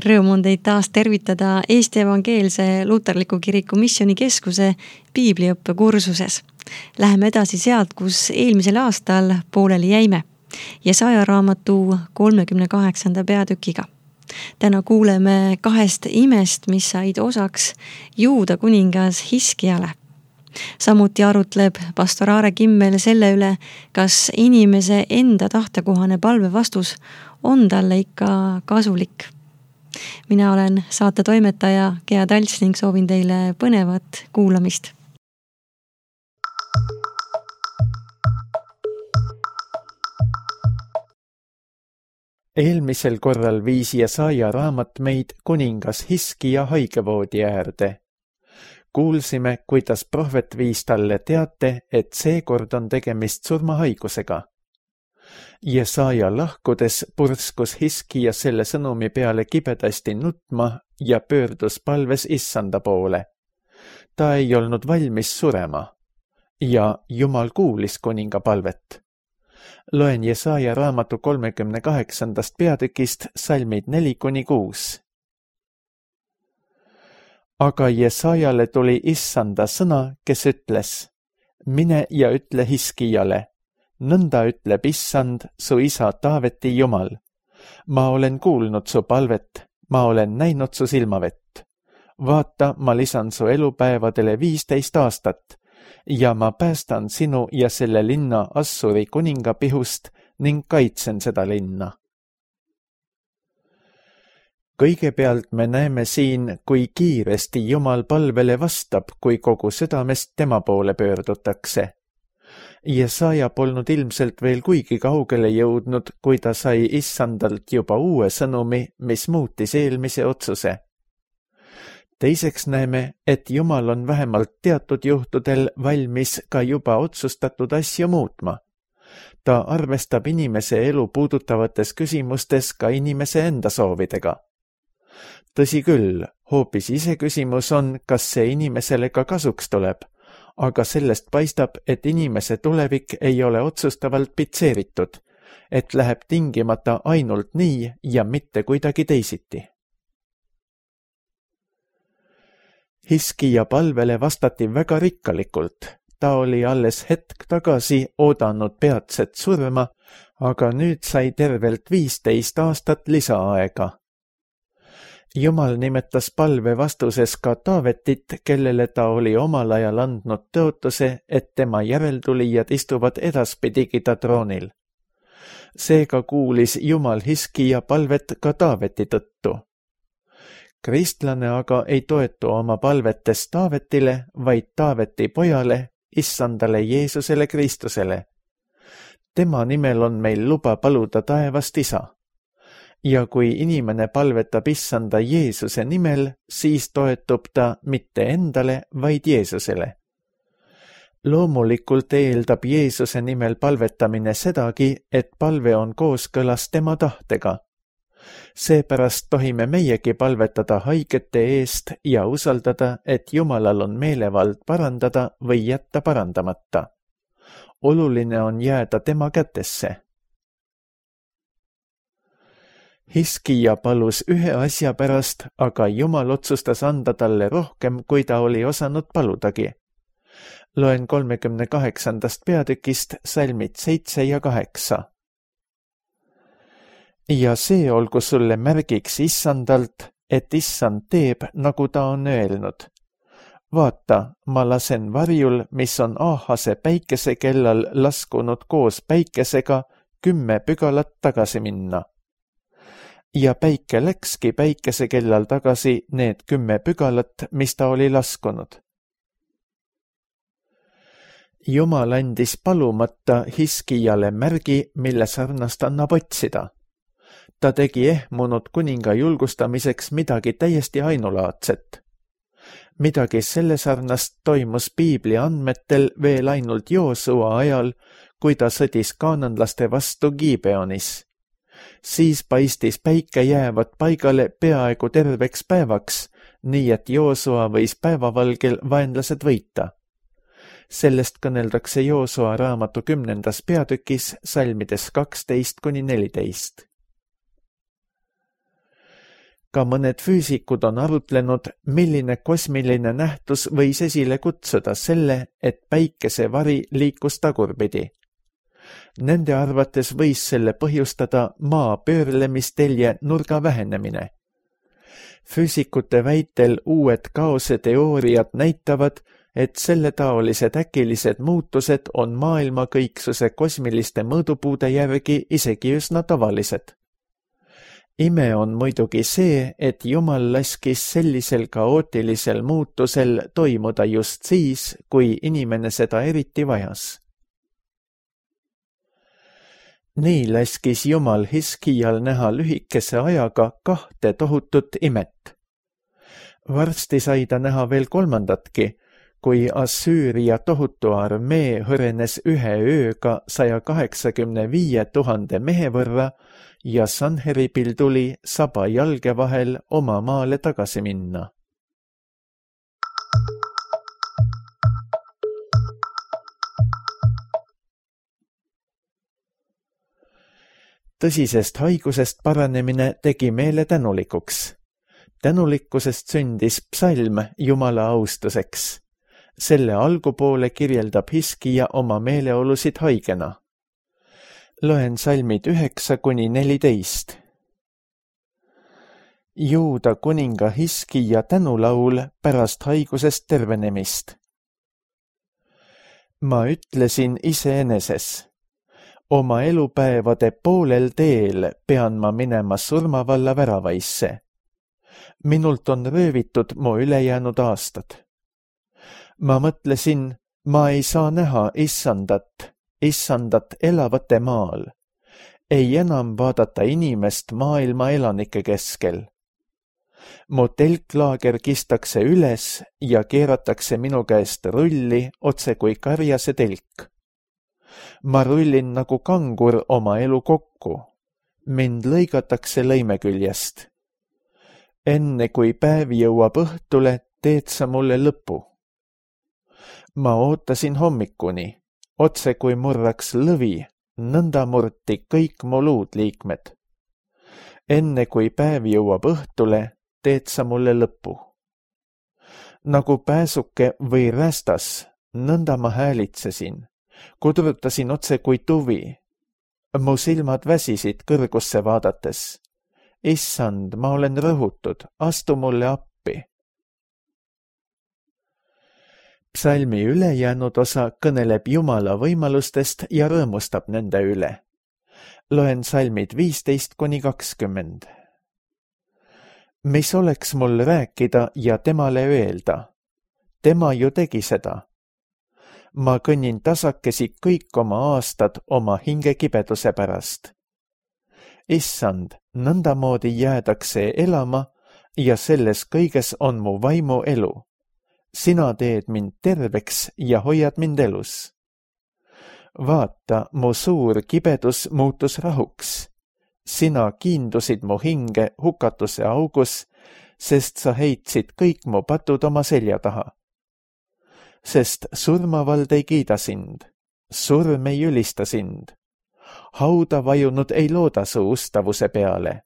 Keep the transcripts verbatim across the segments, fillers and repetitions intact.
Rõõm on teid taas tervitada Eesti Evangeelse Luterliku Kiriku Missioonikeskuse piibliõppe kursuses. Läheme edasi sealt, kus eelmisel aastal pooleli jäime. Jesaja raamatu kolmekümne kaheksanda peatükiga. Täna kuuleme kahest imest, mis said osaks Juuda kuningas Hiskiale. Samuti arutleb pastor Aare Kimmel selle üle, kas inimese enda tahtekohane palvevastus on talle ikka kasulik. Mina olen saate toimetaja Gea Talts ning soovin teile põnevat kuulamist. Eelmisel korral viis Jesaja raamat meid kuningas Hiskia haigevoodi äärde. Kuulsime, kuidas prohvet viis talle teate, et seekord on tegemist surmahaigusega. Jesaja lahkudes purskus Hiskia selle sõnumi peale kibedasti nutma ja pöördus palves Issanda poole. Ta ei olnud valmis surema ja Jumal kuulis kuninga palvet. Loen Jesaja raamatu kolmekümne kaheksandast peatükist salmid neli kuni kuus. Aga Jesajale tuli Issanda sõna, kes ütles, mine ja ütle Hiskiale, nõnda ütleb Issand, su isa Taaveti Jumal. Ma olen kuulnud su palvet, ma olen näinud su silmavett. Vaata, ma lisan su elupäevadele viisteist aastat ja ma päästan sinu ja selle linna Assuri kuninga pihust ning kaitsen seda linna. Kõigepealt me näeme siin, kui kiiresti Jumal palvele vastab, kui kogu südamest tema poole pöördutakse. Jesaja polnud ilmselt veel kuigi kaugele jõudnud, kui ta sai Issandalt juba uue sõnumi, mis muutis eelmise otsuse. Teiseks näeme, et Jumal on vähemalt teatud juhtudel valmis ka juba otsustatud asju muutma. Ta arvestab inimese elu puudutavates küsimustes ka inimese enda soovidega. Tõsi küll, hoopis ise küsimus on, kas see inimesele ka kasuks tuleb, aga sellest paistab, et inimese tulevik ei ole otsustavalt pitseeritud, et läheb tingimata ainult nii ja mitte kuidagi teisiti. Hiskia palvele vastati väga rikkalikult. Ta oli alles hetk tagasi oodanud peatset surma, aga nüüd sai tervelt viisteist aastat lisaaega. Jumal nimetas palve vastuses ka Taavetit, kellele ta oli omal ajal andnud tõotuse, et tema järeltulijad istuvad edaspidigi ta troonil. Seega kuulis Jumal Hiskia palvet ka Taaveti tõttu. Kristlane aga ei toetu oma palvetes Taavetile, vaid Taaveti pojale, Issandale Jeesusele Kristusele. Tema nimel on meil luba paluda taevast isa. Ja kui inimene palvetab Issanda Jeesuse nimel, siis toetub ta mitte endale, vaid Jeesusele. Loomulikult eeldab Jeesuse nimel palvetamine sedagi, et palve on kooskõlas tema tahtega. Seepärast tohime meiegi palvetada haigete eest ja usaldada, et Jumalal on meelevald parandada või jätta parandamata. Oluline on jääda tema kätesse. Hiskia palus ühe asja pärast, aga Jumal otsustas anda talle rohkem, kui ta oli osanud paludagi. Loen kolmekümne kaheksandast peatükist salmid seitse ja kaheksa. Ja see olgu sulle märgiks Issandalt, et Issand teeb, nagu ta on öelnud. Vaata, ma lasen varjul, mis on Aahase päikesekellal laskunud koos päikesega, kümme pügalat tagasi minna. Ja päike läkski päikesekellal tagasi need kümme pügalat, mis ta oli laskunud. Jumal andis palumata Hiskiale märgi, mille sarnast annab otsida. Ta tegi ehmunud kuninga julgustamiseks midagi täiesti ainulaadset. Midagi selle sarnast toimus piibli andmetel veel ainult Joosua ajal, kui ta sõdis kaananlaste vastu Gibeonis. Siis paistis päike jäävat paigale peaaegu terveks päevaks, nii et Joosua võis päevavalgel vaenlased võita. Sellest kõneldakse Joosua raamatu kümnendas peatükis salmides kaksteist kuni neliteist. Ka mõned füüsikud on arutlenud, milline kosmiline nähtus võis esile kutsuda selle, et päikesevari liikus tagurpidi. Nende arvates võis selle põhjustada maa pöörlemistelje nurga vähenemine. Füüsikute väitel uued kaoseteooriad näitavad, et selletaolised äkilised muutused on maailma kõiksuse kosmiliste mõõdupuude järgi isegi üsna tavalised. Ime on muidugi see, et Jumal laskis sellisel kaootilisel muutusel toimuda just siis, kui inimene seda eriti vajas. Nii laskis Jumal Hiskial näha lühikese ajaga kahte tohutut imet. Varsti sai ta näha veel kolmandatki, kui Assüüria tohutu armee hõrenes ühe ööga saja kaheksakümne viie tuhande mehe võrra ja Sanheripil tuli saba jalge vahel oma maale tagasi minna. Tõsisest haigusest paranemine tegi meele tänulikuks. Tänulikkusest sündis psalm Jumala austuseks. Selle algupoole kirjeldab Hiskija oma meeleolusid haigena. Loen salmid üheksa kuni neliteist. Juuda kuninga Hiskija tänulaul pärast haigusest tervenemist. Ma ütlesin iseeneses. Oma elupäevade poolel teel pean ma minema surmavalla väravaisse. Minult on röövitud mu ülejäänud aastad. Ma mõtlesin, ma ei saa näha issandat, issandat elavate maal. Ei enam vaadata inimest maailma elanike keskel. Mu telklaager kistakse üles ja keeratakse minu käest rulli otse kui karjase telk. Ma rullin nagu kangur oma elu kokku. Mind lõigatakse lõime küljest. Enne kui päev jõuab õhtule, teed sa mulle lõpu. Ma ootasin hommikuni, otse kui murraks lõvi, nõnda murti kõik mu luudliikmed. Enne kui päev jõuab õhtule, teed sa mulle lõpu. Nagu pääsuke või rästas, nõnda ma häälitsesin, kudrutasin otse kui tuvi. Mu silmad väsisid kõrgusse vaadates. Issand, ma olen rõhutud, astu mulle appi. Psalmi ülejäänud osa kõneleb Jumala võimalustest ja rõõmustab nende üle. Loen salmid viisteist kuni kakskümmend. Mis oleks mul rääkida ja temale öelda? Tema ju tegi seda. Ma kõnnin tasakesi kõik oma aastad oma hingekibeduse pärast. Issand, nõndamoodi jäädakse elama ja selles kõiges on mu vaimu elu. Sina teed mind terveks ja hoiad mind elus. Vaata, mu suur kibedus muutus rahuks. Sina kiindusid mu hinge hukatuse augus, sest sa heitsid kõik mu patud oma selja taha. Sest surmavald ei kiida sind, surm ei ülista sind. Hauda vajunud ei looda su ustavuse peale.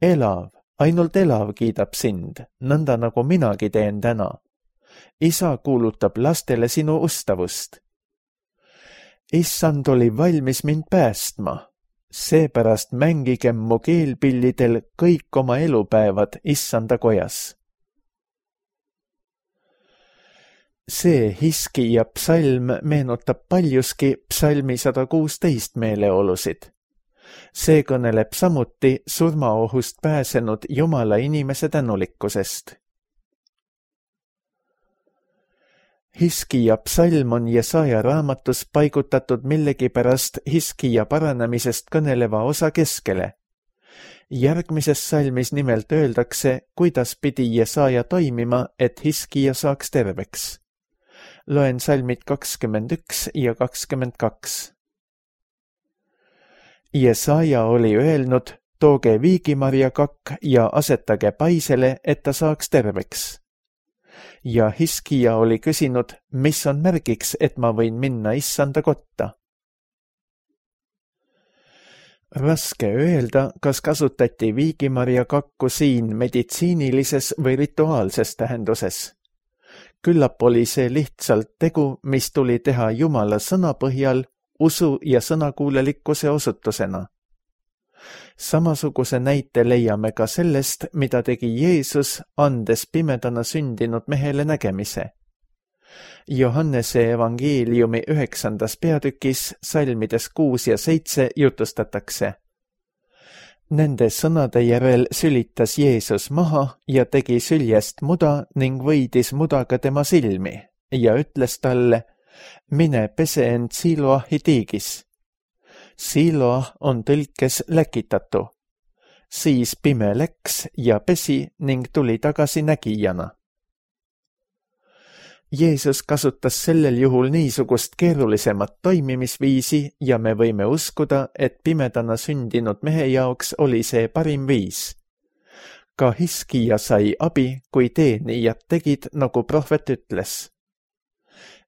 Elav, ainult elav kiidab sind, nõnda nagu minagi teen täna. Isa kuulutab lastele sinu ustavust. Issand oli valmis mind päästma. Seepärast mängigem mu keelpillidel kõik oma elupäevad Issanda kojas. See Hiskija psalm meenutab paljuski psalmi sada kuusteist meeleolusid. See kõneleb samuti surmaohust pääsenud Jumala inimese tänulikkusest. Hiskija psalm on Jesaja raamatus paigutatud millegipärast Hiskija paranemisest kõneleva osa keskele. Järgmises salmis nimelt öeldakse, kuidas pidi Jesaja toimima, et Hiskija saaks terveks. Loen salmid kakskümmend üks ja kakskümmend kaks. Jesaja oli öelnud, tooge viigimarjakakk ja asetage paisele, et ta saaks terveks. Ja Hiskija oli küsinud, mis on märgiks, et ma võin minna Issanda kotta. Raske öelda, kas kasutati viigimarja kakku siin meditsiinilises või rituaalses tähenduses. Küllap oli see lihtsalt tegu, mis tuli teha Jumala sõna põhjal usu ja sõnakuulelikkuse osutusena. Samasuguse näite leiame ka sellest, mida tegi Jeesus, andes pimedana sündinud mehele nägemise. Johannese evangeeliumi üheksandas peatükis salmides kuus ja seitse jutustatakse. Nende sõnade järel sülitas Jeesus maha ja tegi süljest muda ning võidis mudaga tema silmi ja ütles talle, mine pese end Siloahi tiigis. Siloah on tõlkes läkitatu. Siis pime läks ja pesi ning tuli tagasi nägijana. Jeesus kasutas sellel juhul niisugust keerulisemat toimimisviisi ja me võime uskuda, et pimedana sündinud mehe jaoks oli see parim viis. Ka Hiskija sai abi, kui teenijad tegid, nagu prohvet ütles.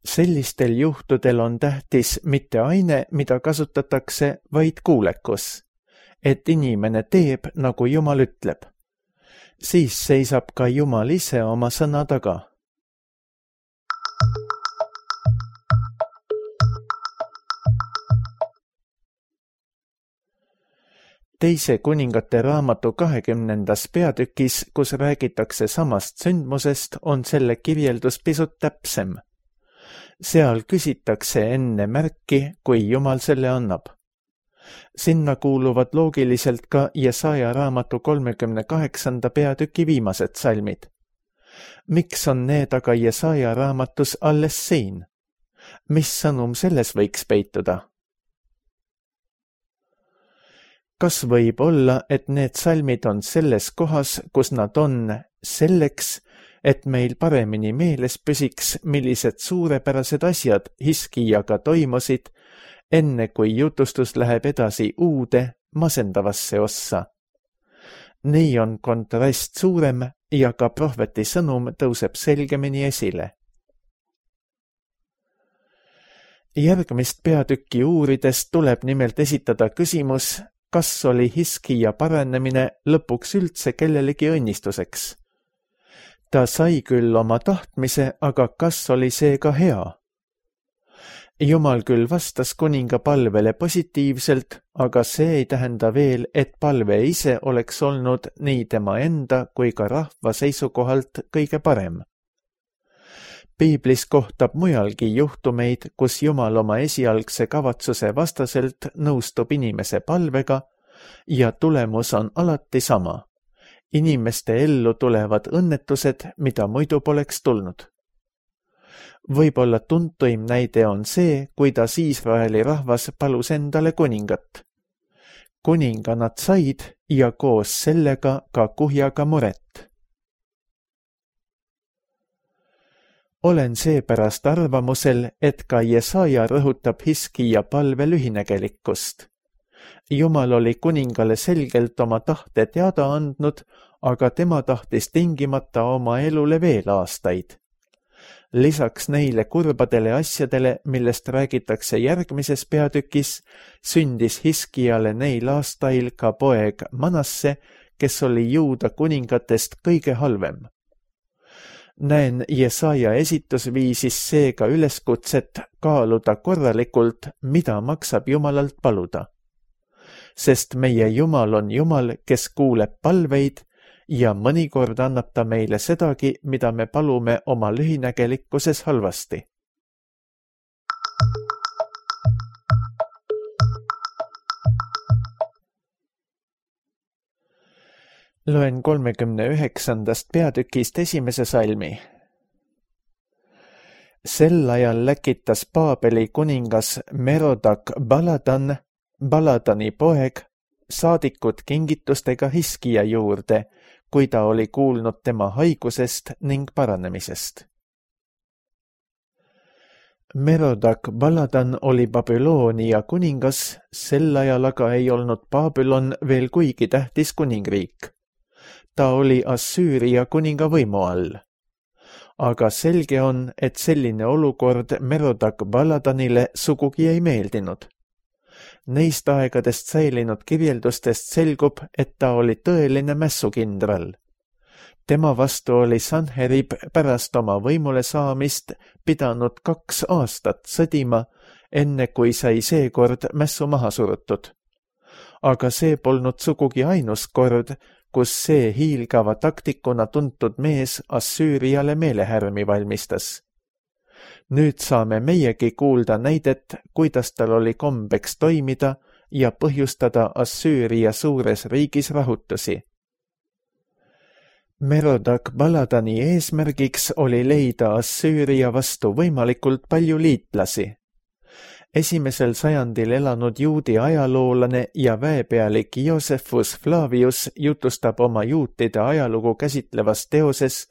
Sellistel juhtudel on tähtis mitte aine, mida kasutatakse, vaid kuulekus, et inimene teeb, nagu Jumal ütleb. Siis seisab ka Jumal ise oma sõna taga. Teise kuningate raamatu kahekümnendas peatükis, kus räägitakse samast sündmusest, on selle kirjeldus pisut täpsem. Seal küsitakse enne märki, kui Jumal selle annab. Sinna kuuluvad loogiliselt ka Jesaja raamatu kolmekümne kaheksanda peatüki viimased salmid. Miks on need aga Jesaja raamatus alles siin? Mis sõnum selles võiks peituda? Kas võib olla, et need salmid on selles kohas, kus nad on, selleks, et meil paremini meeles püsiks, millised suurepärased asjad Hiskijaga toimusid, enne kui jutustus läheb edasi uude, masendavasse ossa. Nii on kontrast suurem ja ka prohveti sõnum tõuseb selgemini esile. Järgmist peatükki uurides tuleb nimelt esitada küsimus, kas oli Hiskija paranemine lõpuks üldse kellelegi õnnistuseks. Ta sai küll oma tahtmise, aga kas oli see ka hea? Jumal küll vastas kuninga palvele positiivselt, aga see ei tähenda veel, et palve ise oleks olnud nii tema enda kui ka rahva seisukohalt kõige parem. Piiblis kohtab mujalgi juhtumeid, kus Jumal oma esialgse kavatsuse vastaselt nõustub inimese palvega ja tulemus on alati sama. Inimeste ellu tulevad õnnetused, mida muidu poleks tulnud. Võib-olla tuntuim näide on see, kuidas Iisraeli rahvas palus endale kuningat. Kuninga nad said ja koos sellega ka kuhjaga muret. Olen seepärast arvamusel, et ka Jesaja rõhutab Hiskija palve lühinägelikkust. Jumal oli kuningale selgelt oma tahte teada andnud, aga tema tahtis tingimata oma elule veel aastaid. Lisaks neile kurbadele asjadele, millest räägitakse järgmises peatükis, sündis Hiskijale neil aastail ka poeg Manasse, kes oli Juuda kuningatest kõige halvem. Näen Jesaja esitusviisis seega üleskutset kaaluda korralikult, mida maksab Jumalalt paluda. Sest meie Jumal on Jumal, kes kuuleb palveid ja mõnikord annab ta meile sedagi, mida me palume oma lühinägelikkuses halvasti. Loen kolmekümne üheksandast peatükist esimese salmi. Sel ajal läkitas Paabeli kuningas Merodak Baladan, Baladani poeg, saadikud kingitustega Hiskija juurde, kui ta oli kuulnud tema haigusest ning paranemisest. Merodak Baladan oli Babyloonia kuningas, sel ajal aga ei olnud Babylon veel kuigi tähtis kuningriik. Ta oli Assüüria kuninga võimu all. Aga selge on, et selline olukord Merodak Baladanile sugugi ei meeldinud. Neist aegadest säilinud kirjeldustest selgub, et ta oli tõeline mässukindral. Tema vastu oli Sanherib pärast oma võimule saamist pidanud kaks aastat sõdima, enne kui sai seekord mässu maha surutud. Aga see polnud sugugi ainus kord, kus see hiilgava taktikuna tuntud mees Assüüriale meelehärmi valmistas. Nüüd saame meiegi kuulda näidet, kuidas tal oli kombeks toimida ja põhjustada Assüüria suures riigis rahutusi. Merodak Baladani eesmärgiks oli leida Assüüria vastu võimalikult palju liitlasi. Esimesel sajandil elanud juudi ajaloolane ja väepealik Josephus Flavius jutustab oma juutide ajalugu käsitlevas teoses,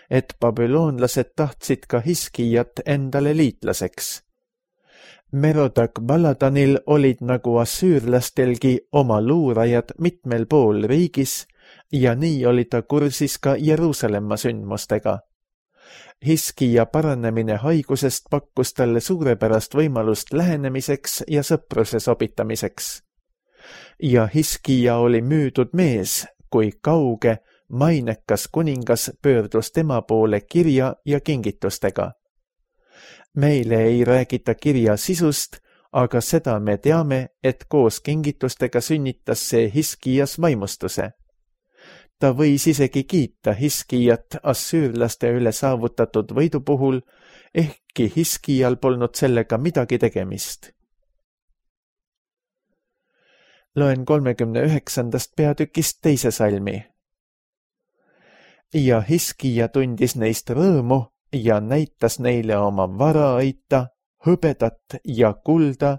et babüloonlased tahtsid ka Hiskijat endale liitlaseks. Merodak Baladanil olid nagu assüürlastelgi oma luurajad mitmel pool riigis ja nii oli ta kursis ka Jeruusalemma sündmustega. Hiskija paranemine haigusest pakkus talle suurepärast võimalust lähenemiseks ja sõpruse sobitamiseks. Ja Hiskija oli müüdud mees, kui kauge, mainekas kuningas pöördus tema poole kirja ja kingitustega. Meile ei räägita kirja sisust, aga seda me teame, et koos kingitustega sünnitas see Hiskijas vaimustuse. Ta võis isegi kiita Hiskijat assüürlaste üle saavutatud võidu puhul, ehkki Hiskijal polnud sellega midagi tegemist. Loen kolmekümne üheksandast peatükist teise salmi. Ja Hiskija tundis neist rõõmu ja näitas neile oma varaaita, hõbedat ja kulda,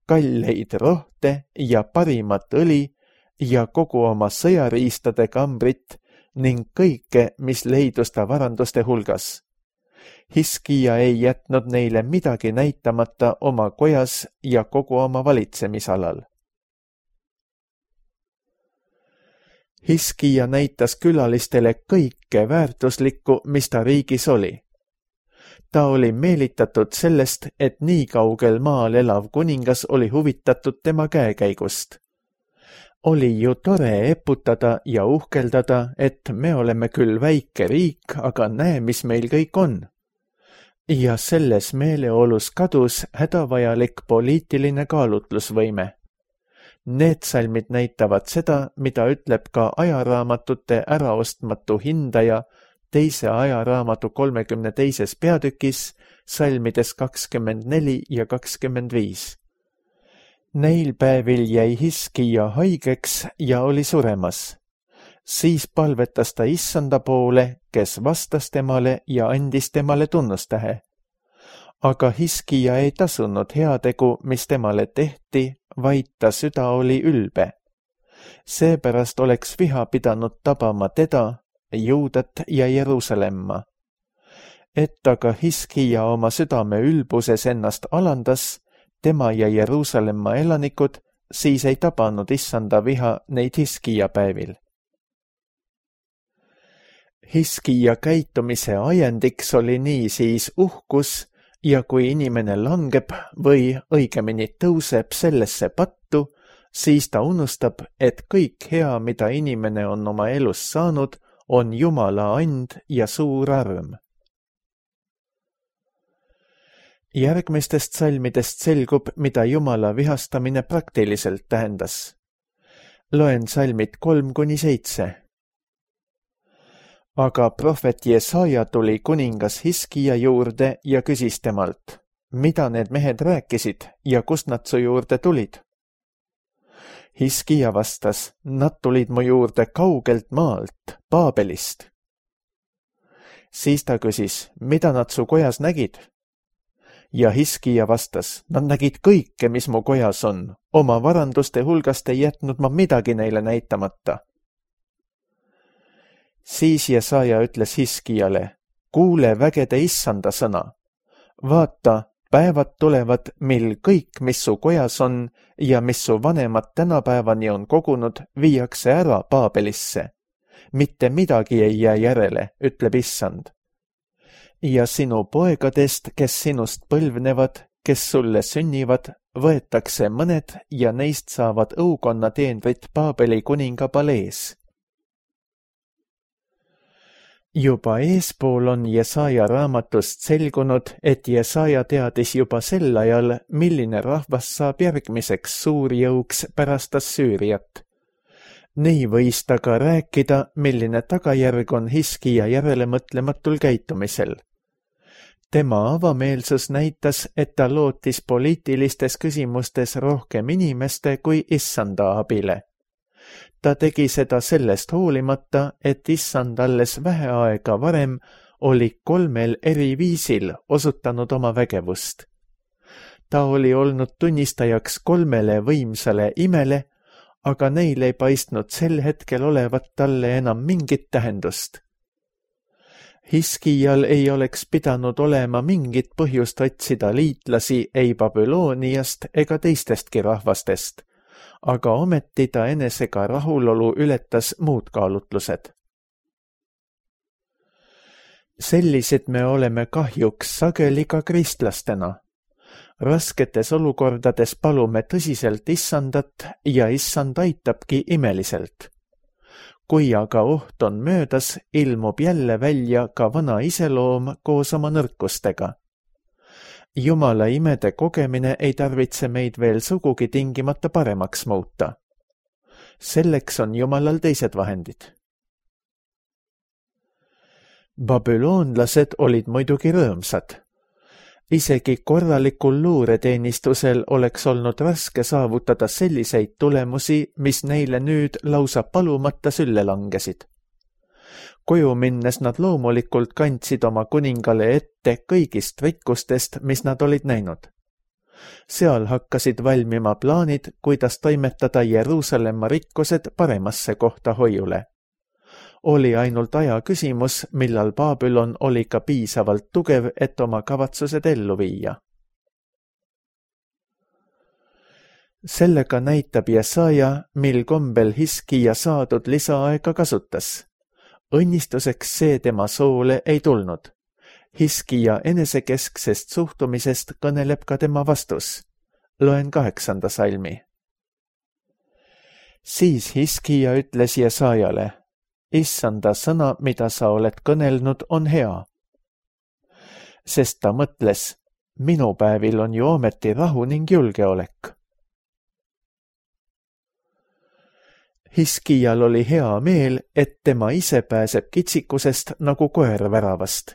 kalleid rohte ja parimat õli ja kogu oma sõjariistade kambrit ning kõike, mis leidus ta varanduste hulgas. Hiskija ei jätnud neile midagi näitamata oma kojas ja kogu oma valitsemisalal. Hiskija näitas külalistele kõike väärtuslikku, mis ta riigis oli. Ta oli meelitatud sellest, et nii kaugel maal elav kuningas oli huvitatud tema käekäigust. Oli ju tore eputada ja uhkeldada, et me oleme küll väike riik, aga näe, mis meil kõik on. Ja selles meeleolus kadus hädavajalik poliitiline kaalutlusvõime. Need salmid näitavad seda, mida ütleb ka ajaraamatute äraostmatu hindaja teise ajaraamatu kolmekümne teises peatükis, salmides kakskümmend neli ja kakskümmend viis. Neil päevil jäi Hiskija haigeks ja oli suremas. Siis palvetas ta issanda poole, kes vastas temale ja andis temale tunnustähe. Aga Hiskija ei tasunud heategu, mis temale tehti, vaid ta süda oli ülbe. Seepärast oleks viha pidanud tabama teda, Juudat ja Jeruusalemma. Et aga Hiskija oma südame ülbuses ennast alandas, tema ja Jeruusalemma elanikud, siis ei tabanud issanda viha neid Hiskija päevil. Hiskija käitumise ajendiks oli niisiis uhkus, ja kui inimene langeb või õigemini tõuseb sellesse pattu, siis ta unustab, et kõik hea, mida inimene on oma elus saanud, on Jumala and ja suur arm. Järgmistest salmidest selgub, mida Jumala vihastamine praktiliselt tähendas. Loen salmid kolm kuni seitse. Aga prohvet Jesaja tuli kuningas Hiskija juurde ja küsis temalt, mida need mehed rääkisid ja kust nad su juurde tulid? Hiskija vastas, nad tulid mu juurde kaugelt maalt, Paabelist. Siis ta küsis, mida nad su kojas nägid? Ja Hiskija vastas, nad nägid kõike, mis mu kojas on. Oma varanduste hulgast ei jätnud ma midagi neile näitamata. Siis Jesaja ütles Hiskijale, kuule vägede issanda sõna. Vaata, päevad tulevad, mil kõik, mis su kojas on ja mis su vanemad tänapäevani on kogunud, viiakse ära Paabelisse. Mitte midagi ei jää järele, ütleb issand. Ja sinu poegadest, kes sinust põlvnevad, kes sulle sünnivad, võetakse mõned ja neist saavad õukonna teenrid Paabeli kuninga palees. Juba eespool on Jesaja raamatust selgunud, et Jesaja teadis juba sel ajal, milline rahvas saab järgmiseks suurjõuks pärast Assüüriat. Nii võis ta ka rääkida, milline tagajärg on Hiskija järelemõtlematul käitumisel. Tema avameelsus näitas, et ta lootis poliitilistes küsimustes rohkem inimeste kui issanda abile. Ta tegi seda sellest hoolimata, et issand alles vähe aega varem oli kolmel eri viisil osutanud oma vägevust. Ta oli olnud tunnistajaks kolmele võimsale imele, aga neil ei paistnud sel hetkel olevat talle enam mingit tähendust. Hiskijal ei oleks pidanud olema mingit põhjust otsida liitlasi ei Babyloniast ega teistestki rahvastest, aga ometi ta enesega rahulolu ületas muud kaalutlused. Sellised me oleme kahjuks sageli ka kristlastena. Rasketes olukordades palume tõsiselt issandat ja issand aitabki imeliselt. Kui aga oht on möödas, ilmub jälle välja ka vana iseloom koos oma nõrkustega. Jumala imede kogemine ei tarvitse meid veel sugugi tingimata paremaks muuta. Selleks on Jumalal teised vahendid. Babylonlased olid muidugi rõõmsad. Isegi korralikul luureteenistusel oleks olnud raske saavutada selliseid tulemusi, mis neile nüüd lausa palumata sülle langesid. Koju minnes nad loomulikult kandsid oma kuningale ette kõigist rikkustest, mis nad olid näinud. Seal hakkasid valmima plaanid, kuidas toimetada Jeruusalemma rikkused paremasse kohta hoiule. Oli ainult aja küsimus, millal Babylon oli ka piisavalt tugev, et oma kavatsused ellu viia. Sellega näitab Jesaja, mil kombel Hiskija saadud lisaaega kasutas. Õnnistuseks see tema soole ei tulnud. Hiskija enesekesksest suhtumisest kõneleb ka tema vastus. Loen kaheksanda salmi. Siis Hiskija ütles Jesajale, issanda sõna, mida sa oled kõnelnud, on hea. Sest ta mõtles, minu päevil on ju ometi rahu ning julgeolek. Hiskijal oli hea meel, et tema ise pääseb kitsikusest nagu koer väravast.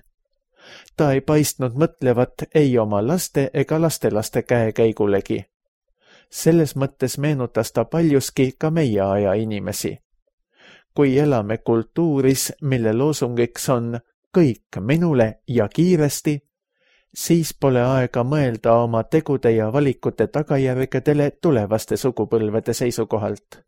Ta ei paistnud mõtlevat ei oma laste ega lastelaste käekäigulegi. Selles mõttes meenutas ta paljuski ka meie aja inimesi. Kui elame kultuuris, mille loosungiks on kõik minule ja kiiresti, siis pole aega mõelda oma tegude ja valikute tagajärgedele tulevaste sugupõlvede seisukohalt.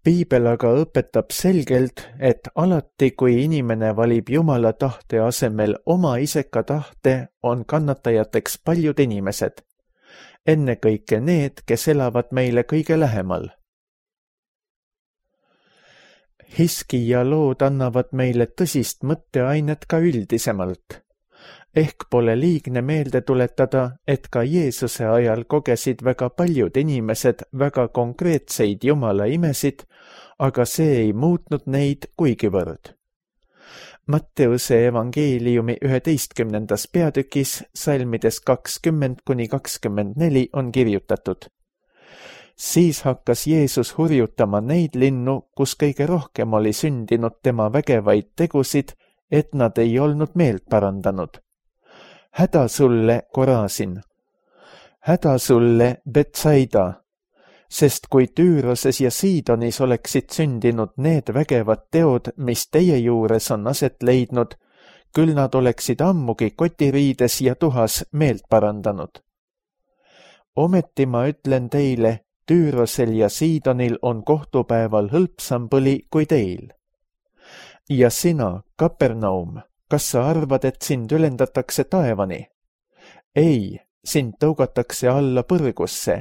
Piibel aga õpetab selgelt, et alati, kui inimene valib Jumala tahte asemel oma iseka tahte, on kannatajateks paljud inimesed, ennekõike need, kes elavad meile kõige lähemal. Hiskija lood annavad meile tõsist mõtteainet ka üldisemalt. Ehk pole liigne meelde tuletada, et ka Jeesuse ajal kogesid väga paljud inimesed väga konkreetseid Jumala imesid, aga see ei muutnud neid kuigivõrd. Matteuse evangeeliumi üheteistkümnendas peatükis salmides kakskümmend kuni kakskümmend neli on kirjutatud. Siis hakkas Jeesus hurjutama neid linnu, kus kõige rohkem oli sündinud tema vägevaid tegusid, et nad ei olnud meelt parandanud. Häda sulle, Korasin! Häda sulle, Betsaida! Sest kui Tüüroses ja Siidonis oleksid sündinud need vägevad teod, mis teie juures on aset leidnud, küll nad oleksid ammugi kotiriides ja tuhas meelt parandanud. Ometi ma ütlen teile, Tüürosel ja Siidonil on kohtupäeval hõlpsam põli kui teil. Ja sina, Kapernaum, kas sa arvad, et sind ülendatakse taevani? Ei, sind tõugatakse alla põrgusse,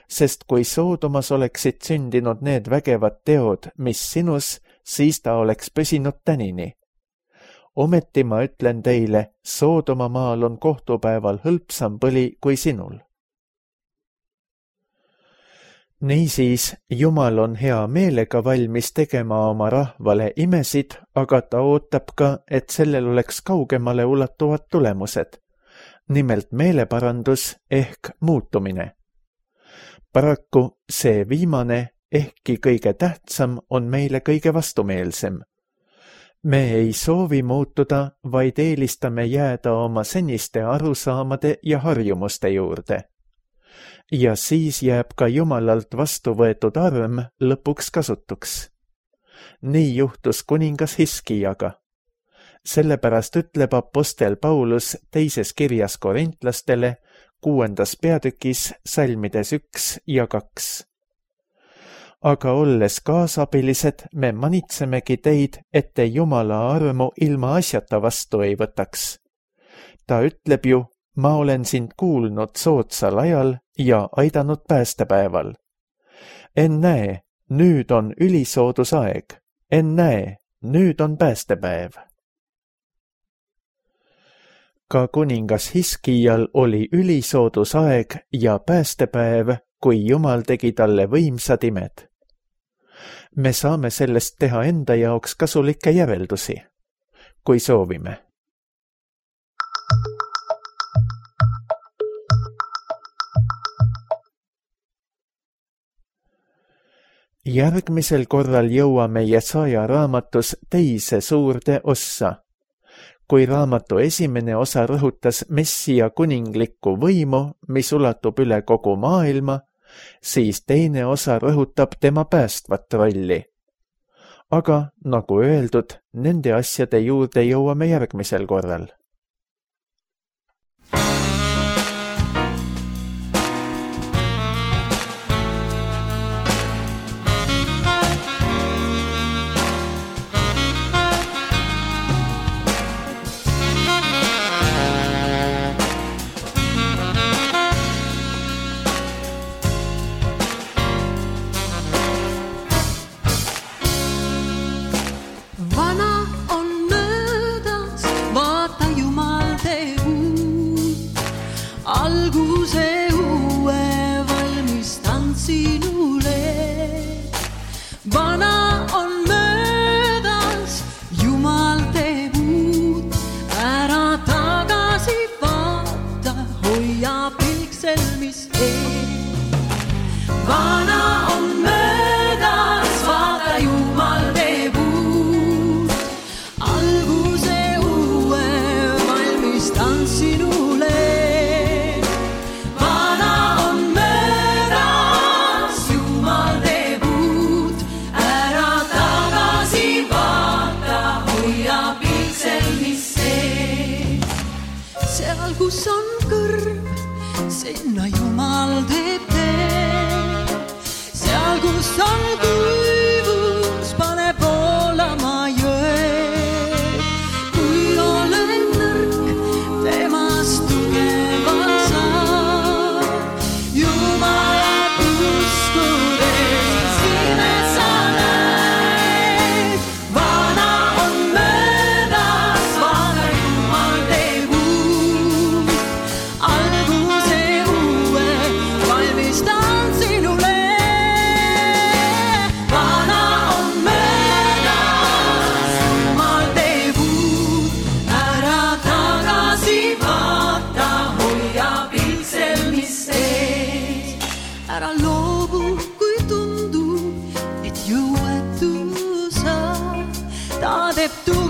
sest kui Soodomas oleksid sündinud need vägevad teod, mis sinus, siis ta oleks püsinud tänini. Ometi ma ütlen teile, Soodoma maal on kohtupäeval hõlpsam põli kui sinul. Niisiis, Jumal on hea meelega valmis tegema oma rahvale imesid, aga ta ootab ka, et sellel oleks kaugemale ulatuvad tulemused, nimelt meeleparandus ehk muutumine. Paraku see viimane, ehkki kõige tähtsam, on meile kõige vastumeelsem. Me ei soovi muutuda, vaid eelistame jääda oma seniste arusaamade ja harjumuste juurde. Ja siis jääb ka Jumalalt vastu võetud arm lõpuks kasutuks. Nii juhtus kuningas Hiskijaga. Sellepärast ütleb apostel Paulus teises kirjas korintlastele, kuuendas peatükis, salmides üks ja kaks. Aga olles kaasabilised, me manitsemegi teid, et te Jumala armu ilma asjata vastu ei võtaks. Ta ütleb ju, ma olen sind kuulnud soodsal ajal ja aidanud päästepäeval. Ennäe, nüüd on ülisoodus aeg. Ennäe, nüüd on päästepäev. Ka kuningas Hiskijal oli ülisoodus aeg ja päästepäev, kui Jumal tegi talle võimsad imed. Me saame sellest teha enda jaoks kasulikke järeldusi, kui soovime. Järgmisel korral jõuame Jesaja raamatus teise suurde ossa. Kui raamatu esimene osa rõhutas Messia kuninglikku võimu, mis ulatub üle kogu maailma, siis teine osa rõhutab tema päästvat rolli. Aga, nagu öeldud, nende asjade juurde jõuame järgmisel korral. Kus on kõrv, sinna Jumal teeb tee. Seal, kus on kuivus, pane voolama jõed. Kui olen nõrk, temast tugeval saab. Jumalat uskudes imes sa näed. Vana on möödas, vaata Jumal teeb uut. Alguse uue valmistan sinule. Vana on möödas, Jumal teeb uut. Ära tagasi vaata, hoia pilsel, mis sees. Ära loobu, kui tundub, et jõuetu sa. Ta teeb tu